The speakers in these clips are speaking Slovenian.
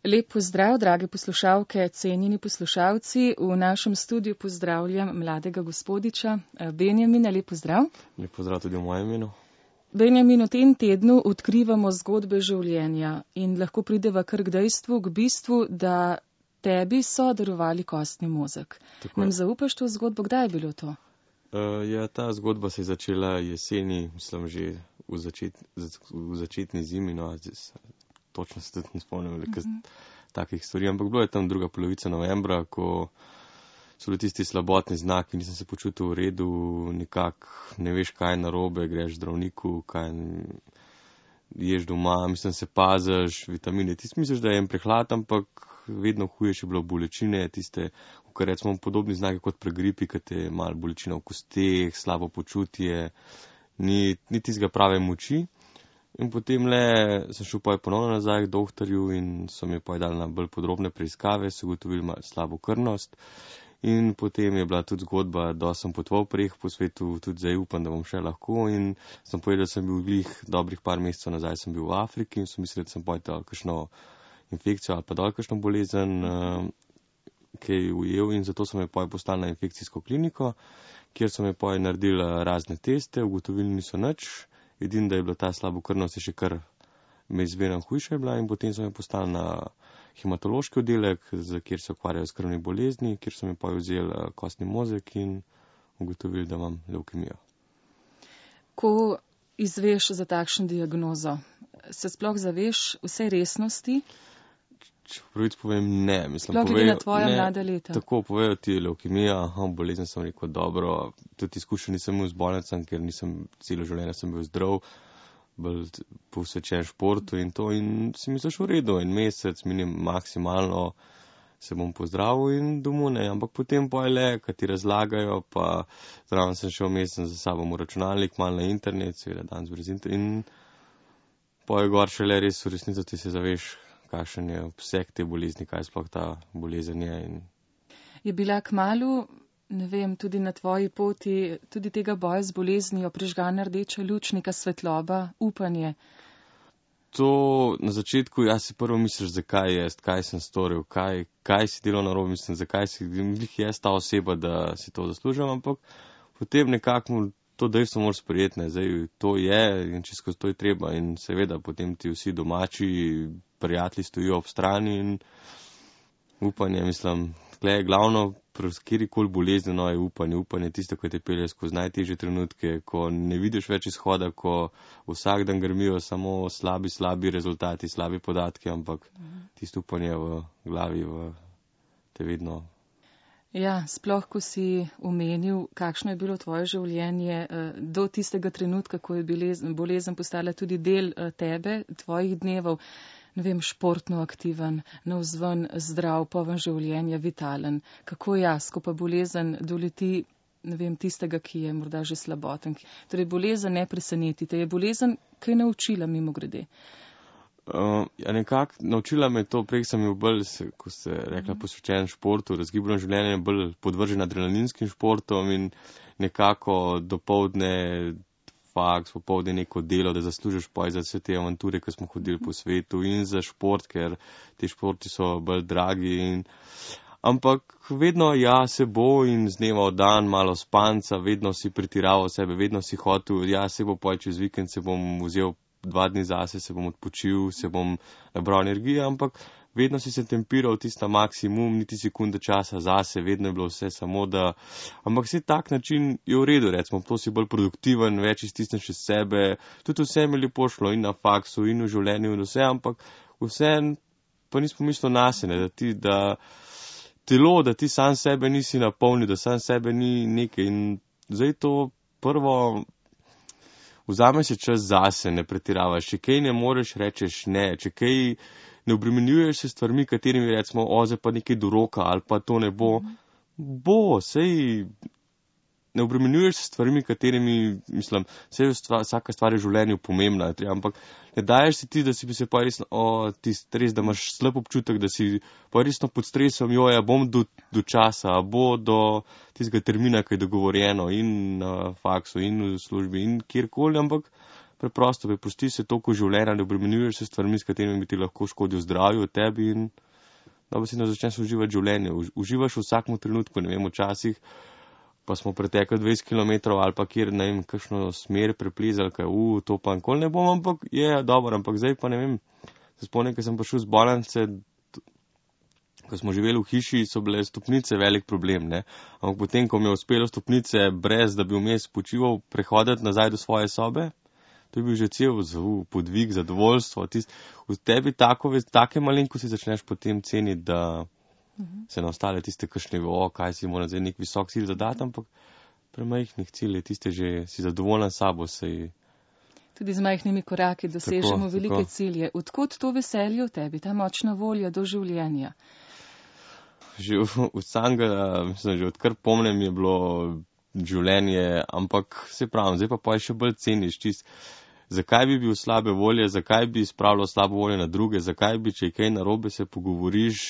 Lep pozdrav, drage poslušalke, cenjeni poslušalci. V našem studiu pozdravljam mladega gospodiča Benjamina. Lep pozdrav. Lep pozdrav tudi v mojem imenu. Benjamin, v tem tednu odkrivamo zgodbe življenja in lahko prideva kar k dejstvu, k bistvu, da tebi so darovali kostni mozeg. Nam zaupaš to zgodbo? Kdaj je bilo to? Ta zgodba se je začela jeseni, mislim že v začetni zimi, no, točno se tudi ne spomnim takih stvari, ampak bilo je tam druga polovica novembra, ko so bili tisti slabotni znaki, nisem se počutil v redu, nekako ne veš, kaj je narobe, greš zdravniku, kaj ješ doma, mislim, se paziš, vitamine, ti misliš, da je en prehlad, ampak vedno hujše bilo bolečine, tiste, kar recimo podobni znaki kot pri gripi, kad je malo bolečina v kosteh, slabo počutje, ni tistega prave moči. In potem sem šel ponovno nazaj k doktorju in so mi dali na bolj podrobne preiskave, so ugotovili slabo krvnost. In potem je bila tudi zgodba, da sem potoval preh po svetu, tudi zdaj upam, da bom še lahko. In sem povedal, da sem bil glih dobrih par mesecev nazaj, sem bil v Afriki in so mislili, da sem dal kakšno infekcijo ali pa dal kakšno bolezen, ki je ujel, in zato so me poslali na infekcijsko kliniko, kjer so me naredili razne teste, ugotovili niso nič. Edino, da je bila ta slabokrvnost še kar izmerno hujša je bila, in potem so me poslali na hematološki oddelek, kjer se ukvarjajo s krvnimi bolezni, kjer so mi vzeli kostni mozeg in ugotovili, da imam levkemijo. Ko izveš za takšno diagnozo, se sploh zaveš vse resnosti? Če pravic povem, ne. Sploh glede na tvoja mlada leta. Tako povejo ti levkemija, bolezen, sem rekel, dobro. Tudi izkušen nisem imel z bolnicam, ker nisem celo življenje sem bil zdrav, bolj posvečen športu in to. In si misliš v redu, en mesec, maksimalno se bom pozdravil in domov ne. Ampak potem kad ti razlagajo, pa zraven sem šel mesec za sabo v računalnik, malo na internet, seveda danes brez internet. In gor šele res v resnici ti se zaveš, kakšen je obseg te bolezni, kaj sploh ta bolezen je. Je bila kmalu, ne vem, tudi na tvoji poti, tudi tega boja z boleznijo prižgana rdeča luč, neka svetloba, upanje? To na začetku, si prvo misliš, zakaj jaz, kaj sem storil, kaj si delal narobe, mislim, zakaj si jaz ta oseba, da si to zaslužim, ampak potem nekako to dejstvo moraš sprejeti, zdaj to je in čisto to je treba in seveda potem ti vsi domači prijatelji stojijo ob strani in upanje, mislim, tle je glavno, kjerikoli bolezni, je upanje tisto, ko te pelje skozi najtežje trenutke, ko ne vidiš več izhoda, ko vsak dan grmijo samo slabi rezultati, slabi podatki, ampak tisto upanje v glavi te vedno. Ja, sploh, ko si omenil, kakšno je bilo tvoje življenje do tistega trenutka, ko je bolezen postala tudi del tebe, tvojih dnevov, ne vem, športno aktiven, navzven zdrav, poln življenja, vitalen. Kako ko pa bolezen doleti, ne vem, tistega, ki je morda že slaboten. Torej, bolezen ne preseneti te. Je bolezen kaj naučila mimogrede? Nekako naučila me to, prej sem bil bolj, ko ste rekla, posvečen športu, razgibano življenje, bolj podvržen adrenalinskim športom in nekako dopoldne faks, popoldne neko delo, da zaslužiš za vse te avanture, ki smo hodili po svetu in za šport, ker ti športi so bolj dragi. Ampak vedno se bo in z dneva v dan malo spanca, vedno si pretiraval sebe, vedno si hotel, se bo čez vikend, se bom vzel 2 dni zase, se bom odpočil, se bom nabral energije, ampak vedno si se tempiral tista maksimum, niti sekunde časa zase, vedno je bilo vse samo da, ampak vse tak način je v redu, recimo, to si bolj produktiven, več iztisneš iz sebe, tudi vse mi lepo šlo in na faksu in v življenju in vse, ampak vse pa nismo mislili nasene, da telo, da ti sam sebe nisi napolnil, da sam sebe ni nekaj in zdaj to prvo, vzame si čas zase, ne pretiravaš, če kaj ne moreš, rečeš ne, če kaj ne obremenjuješ se stvarmi, katerimi recimo, zdaj pa nekaj do roka ali pa to ne bo, sej ne obremenjuješ se stvarmi, katerimi, mislim, vsaka stvar je v življenju pomembna, ampak ne daješ si ti, da si bi se pa resno, res, da imaš slab občutek, da si pa resno pod stresom, bom do časa, bo do tistega termina, ki je dogovorjeno in na faksu in v službi in kjerkoli, ampak preprosto, prepusti se toliko življenja, ne obremenjuješ se stvarmi, s katerimi bi ti lahko škodil zdravju, tebi in dobro si začneš uživati življenje. Uživaš v vsakem trenutku, ne vem, včasih pa smo pretekli 20 km ali pa kjer, ne vem, kakšno smer preplezali, kaj, to pa nikoli ne bom, ampak je dobro, ampak zdaj pa ne vem, se spomnim, ker sem prišel z bolnice, ko smo živeli v hiši, so bile stopnice velik problem, ne. Ampak potem, ko mi je uspelo stopnice brez, da bi vmes počival, prehoditi nazaj do svoje sobe, to je bil že cel podvig, zadovoljstvo. V tebi take malenkosti začneš potem ceniti, da se na ostale tiste kakšne, kaj si mora zdaj nek visok cilj zadati, ampak pri majhnih ciljih tiste že si zadovoljen sabo, Tudi z majhnimi koraki dosežemo tako, velike cilje. Odkot to veselje v tebi, ta močna volja do življenja? Že od samega, mislim, že odkar pomnem je bilo življenje, ampak se pravim, zdaj pa še bolj ceniš čist. Zakaj bi bil slabe volje, zakaj bi spravljal slabo volje na druge, zakaj bi, če je kaj narobe, se pogovoriš,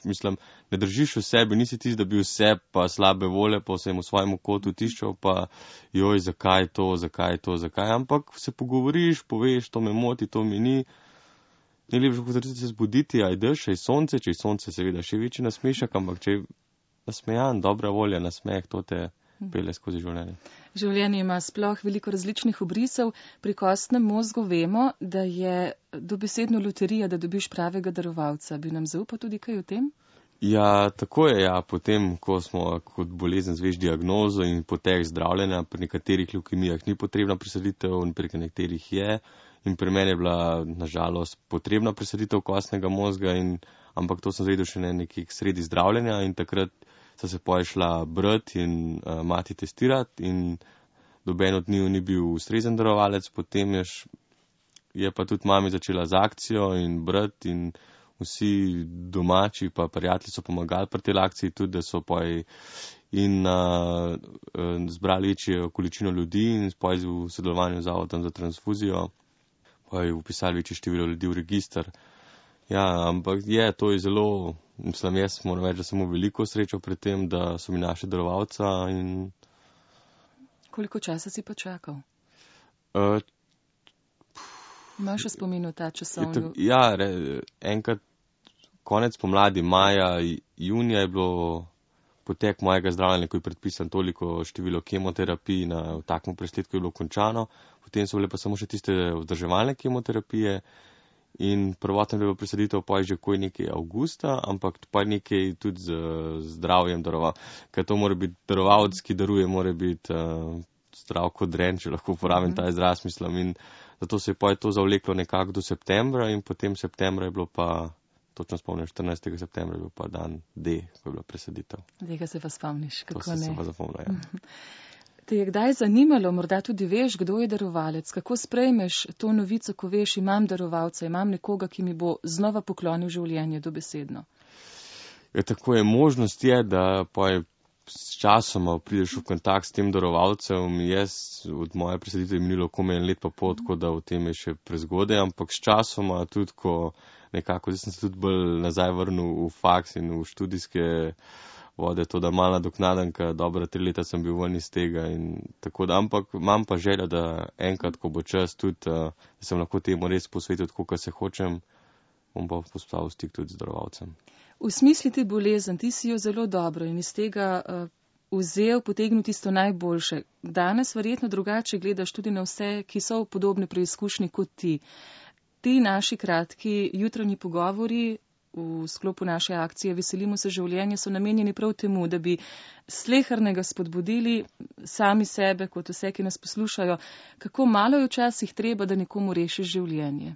mislim, ne držiš v sebi, nisi tisti, da bi vse pa slabe volje, pa vsem v svojem kotu tiščal, pa joj, zakaj to, ampak se pogovoriš, poveš, to me moti, to mi ni. Ni lepše kot se zbuditi, ajdeš, če je sonce, seveda še večji nasmešek, ampak če je nasmejan, dobra volja, nasmeh, to te pelje skozi življenje. Življenje ima sploh veliko različnih obrisov. Pri kostnem mozgu vemo, da je dobesedno loterija, da dobiš pravega darovalca. Bi nam zaupal tudi kaj o tem? Ja, tako je, ja. Potem, ko smo kot bolezen zveš diagnozo in potek zdravljenja, pri nekaterih levkemijah ni potrebna presaditev in pri nekaterih je. In pri meni je bila, nažalost, potrebna presaditev kostnega mozga, ampak to sem zvedel še nekaj sredi zdravljenja in takrat sta se šla brat in mati testirati in noben od njiju ni bil ustrezen darovalec, potem je pa tudi mami začela z akcijo in brat in vsi domači pa prijatelji so pomagali pri tej akciji tudi, da so zbrali večjo količino ljudi in v sodelovanju z Zavodom za transfuzijo vpisali večje število ljudi v register. Ja, ampak to je zelo, mislim, jaz moram reči, da sem imel veliko srečo pri tem, da so mi našli darovalca in... Koliko časa si pa čakal? Imaš v spominu ta časovni? Ja, enkrat konec pomladi, maja, junija je bilo potek mojega zdravljenja, ko je predpisan toliko število kemoterapij v takem presledku je bilo končano, potem so bile pa samo še tiste vzdrževalne kemoterapije. In prvotno je bilo presaditev pa že koj nekaj avgusta, ampak pa nekaj tudi z zdravjem daroval. Ker to mora biti darovalec, ki daruje, mora biti zdrav kot dren, če lahko uporabim ta izraz, mislim. In zato se je pa to zavleklo nekako do septembra in potem septembra je bilo pa, točno spomnim, 14. septembra je bil pa dan D, ko je bila presaditev. Tega se pa spomniš, kako to ne? To se pa zapomnil, ja. Te je kdaj zanimalo, morda tudi veš, kdo je darovalec? Kako sprejmeš to novico, ko veš, imam darovalca, imam nekoga, ki mi bo znova poklonil življenje dobesedno? Ja, tako je, možnost je, da pa je s časoma prideš v kontakt s tem darovalcem. Jaz od moje presaditve je minilo komaj en let pa pol, tako da v tem je še prezgodaj, ampak s časoma tudi, ko nekako, zdaj sem se tudi bolj nazaj vrnil v faks in v študijske vode, to da mala doknadanka, dobra 3 leta sem bil ven iz tega in tako da, ampak imam pa željo, da enkrat, ko bo čas tudi, da sem lahko temu res posvetil, tako kot se hočem, bom pa postavil stik tudi z darovalcem. V smislu te bolezen, ti si jo zelo dobro in iz tega potegnil tisto najboljše. Danes verjetno drugače gledaš tudi na vse, ki so v podobni preizkušnji kot ti. Ti naši kratki jutranji pogovori v sklopu naše akcije Veselimo se življenja so namenjeni prav temu, da bi slehernega spodbudili sami sebe, kot vse, ki nas poslušajo, kako malo je včasih treba, da nekomu rešiš življenje.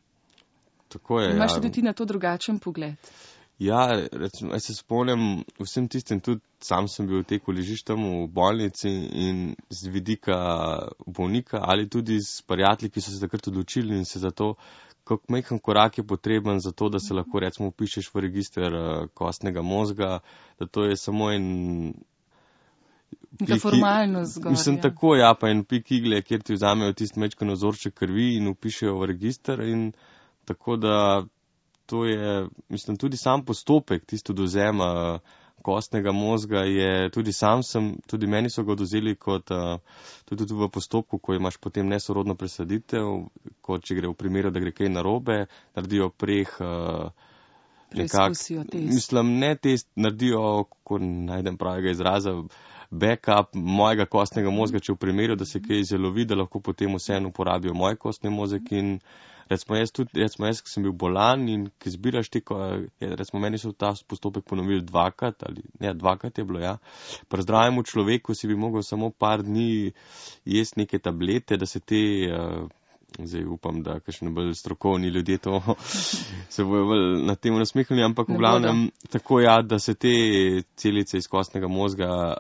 Tako je, imaš tudi ti na to drugačen pogled? Ja, recimo, jaz se spomnim vsem tistim, tudi sam sem bil v teku ležiš tam v bolnici in z vidika bolnika ali tudi s prijatelji, ki so se takrat odločili in se za to, kako majhen korak je potreben za to, da se lahko recimo upišeš v register kostnega mozga, da to je samo neka formalnost zgolj. Mislim, tako, ja, pa en pik igle, kjer ti vzamejo tisti majčken ozorček krvi in upišejo v register in tako da to je, mislim, tudi sam postopek tisto dozema kostnega mozga je, tudi meni so ga odvzeli kot, tudi v postopku, ko imaš potem nesorodno presaditev, kot če gre v primeru, da gre kaj narobe, naredijo preizkusijo test. Mislim, ne test, naredijo, ko najdem pravega izraza, backup mojega kostnega mozga, če v primeru, da se kaj izjelovi, da lahko potem vseeno uporabijo moj kostni mozek in recimo jaz, ki sem bil bolan in ki zbiraš recimo meni so ta postopek ponovili dvakrat je bilo, ja. Pri zdravemu človeku si bi mogel samo par dni jesti neke tablete, da se zdaj upam, da kakšni bolj strokovni ljudje to se bojo bolj na tem nasmehnili, ampak v glavnem tako da se te celice iz kostnega mozga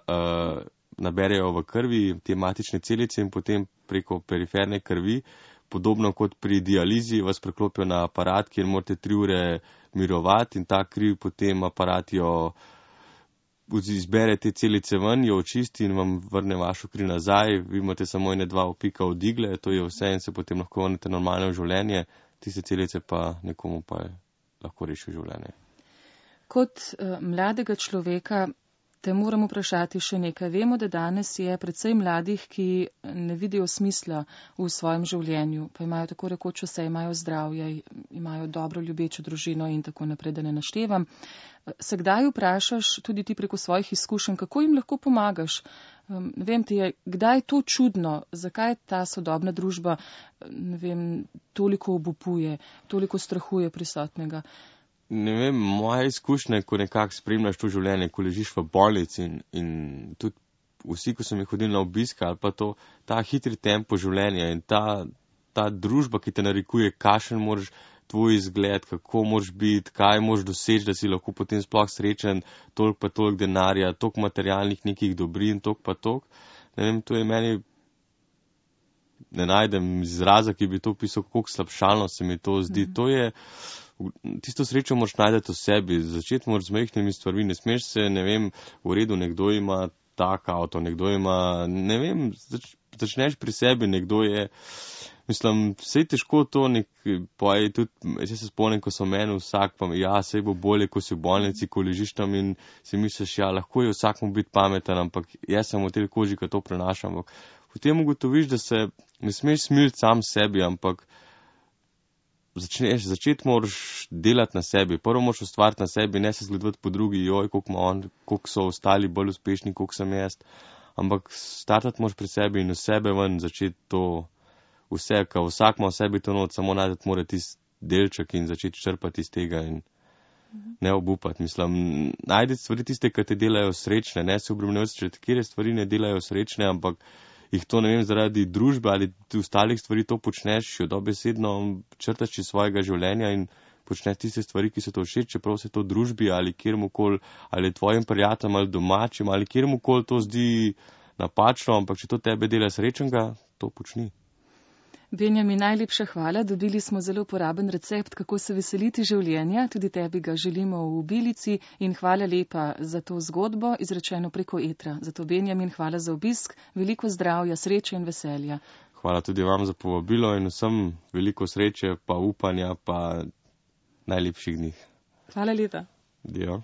naberejo v krvi, te matične celice in potem preko periferne krvi, podobno kot pri dializi, vas preklopijo na aparat, kjer morate 3 ure mirovati in ta kriv potem aparat izbere te celice ven, jo očisti in vam vrne vašo kri nazaj. Vi imate samo 1-2 opika od igle, to je vse in se potem lahko vrnete normalno v življenje. Tiste celice pa nekomu pa lahko rešijo življenje. Kot mladega človeka te moram vprašati še nekaj. Vemo, da danes je precej mladih, ki ne vidijo smisla v svojem življenju, pa imajo tako rekoč vse, imajo zdravje, imajo dobro ljubečo družino in tako naprej, da ne naštevam. Se kdaj vprašaš, tudi ti preko svojih izkušenj, kako jim lahko pomagaš? Vem ti je, kdaj je to čudno, zakaj ta sodobna družba, toliko obupuje, toliko strahuje prisotnega? Ne vem, moja izkušnja, ko nekako spremljaš to življenje, ko ležiš v bolnici in tudi vsi, ko sem jih hodili na obisk ali pa ta hitri tempo življenja in ta družba, ki te narekuje, kakšen moraš tvoj izgled, kako moraš biti, kaj moraš doseči, da si lahko potem sploh srečen, toliko pa toliko denarja, toliko materialnih nekih dobrin, toliko pa toliko. Ne vem, to je meni, ne najdem izraza, ki bi to opisal, koliko slabšalno se mi to zdi. To je, tisto srečo moraš najdeti v sebi, začeti moraš z majhnimi stvarmi, ne smeš se, ne vem, v redu, nekdo ima tak avto, nekdo ima, ne vem, začneš pri sebi, nekdo je, mislim, vse je težko to, tudi, jaz se spomnim, ko so meni vsak, pa sej bo bolje, ko si v bolnici, ko ležiš tam in si misliš, lahko je vsakmu biti pameten, ampak jaz sem v tej koži, ko to prenašam. Potem ugotoviš, da se ne smeš smiliti sam sebi, ampak začeti moraš delati na sebi. Prvo moraš ustvariti na sebi, ne se zgledovati po drugi, koliko so ostali bolj uspešni, koliko sem jaz. Ampak startati moraš pri sebi in v sebe ven začeti to vse, ker vsak ima v sebi to not, samo najdeti mora tisti delček in začeti črpati iz tega in ne obupati. Mislim, najdeti stvari tiste, ki te delajo srečne, ne se obremenjuješ, če te kjer stvari ne delajo srečne, ampak jih to, ne vem, zaradi družbe ali ostalih stvari to počneš, jo dobesedno črtaš iz svojega življenja in počneš tiste stvari, ki so to všeč, čeprav se to družbi ali kjermukoli, ali tvojim prijateljem ali domačim ali kjermukoli to zdi napačno, ampak če to tebe dela srečnega, to počni. Benjamin, najlepša hvala. Dobili smo zelo uporaben recept, kako se veseliti življenja. Tudi tebi ga želimo v Bilici in hvala lepa za to zgodbo, izrečeno preko etra. Zato, Benjamin, hvala za obisk, veliko zdravja, sreče in veselja. Hvala tudi vam za povabilo in vsem veliko sreče, pa upanja, pa najlepših dni. Hvala lepa. Dio.